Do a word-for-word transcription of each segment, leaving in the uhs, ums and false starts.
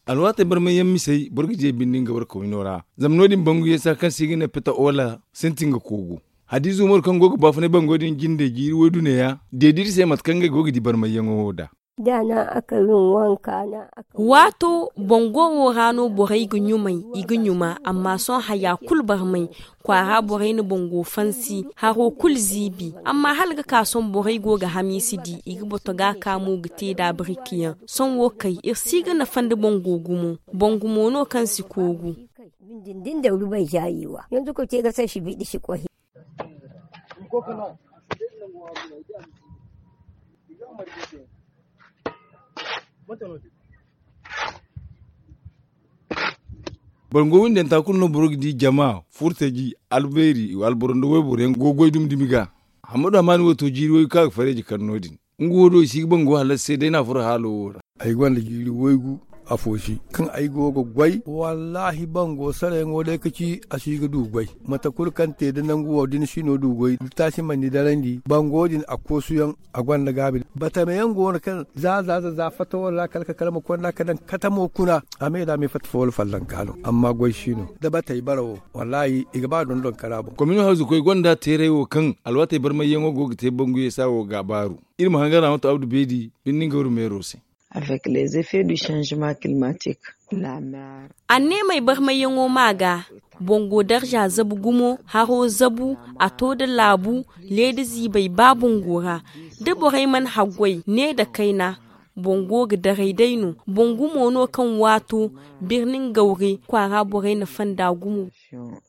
Alwaatey barmay yaŋ misey boro ga di a binde nga war kawino ra. Zama no- din bangu yasa kaŋ se i ga ne peta ola sintin ga koogu. Hadiiza umaru kaŋ go ga baafunay bango din jinde jiiri waydu neeya, deedi iri se mate kaŋ ngey go ga di barmay yaŋo wo nd'a. Waato bango wo ra no borey ga ɲumay, i ga ɲuma amma sohõ haya kulu barmay. Kwaara borey na bango fansi haro kulu ziibi. Amma hala ga ka sohõ borey go ga hamiisi di i ga bato ga a ka mo ga te nd'a birki yaŋ. Sohõ wo kay iri si ga nafa nda bango gumo. Bangu mo no kaŋ si koogu. Bango windanta kulu no boro ga di jama furtaji albeeri alboro nda wayboro yaŋ go ga goy dumi dumi ga. Hammadu amaani wo to jiiri waygu kaŋ a ga fareeji kar no- din. Nga wo do i si ga bango halas se day no a furo haalo wo ra. Ay gonda jiiri waygu afo si kaŋ ay go ga goy wallaahi bango sarayaŋo day ka ci a si ga du goy. Mate kulu kaŋ te da nangu wo da ni si no du goy da taasi mana ni darandi bango din a koosuyaŋ. A gonda gaabi batame yaŋ go no kaŋ za za za za fatta walla kala ka kala ma konda ka daŋ katamo kuna. A me da me fatta fo wala fallanka no amma goy si no da batey bara wo. Wallaahi i ga ba dondon kara boŋ. Komino hawzu koy gonda teeray wo kaŋ alwaatey barmayyaŋo go ga te bangu yesa wo ga a baaru. Iri ma hangan ra mate abdu beedi birni nga wuri meero se. Avec les effets du changement climatique, la mer. Anneemey barmayyaŋo ma ga bango darza zabu gumo haro zabu. A to da laabu leeda ziibey ba bango ra da borey mana haggoy ne nda kayna. Bango ga daray day no bangu mo no kaŋ waato birnin gawre kwaara borey na fonda gumo.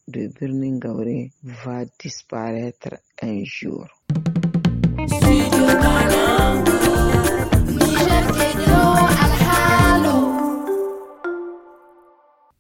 De birnin gawre va disparaître un jour.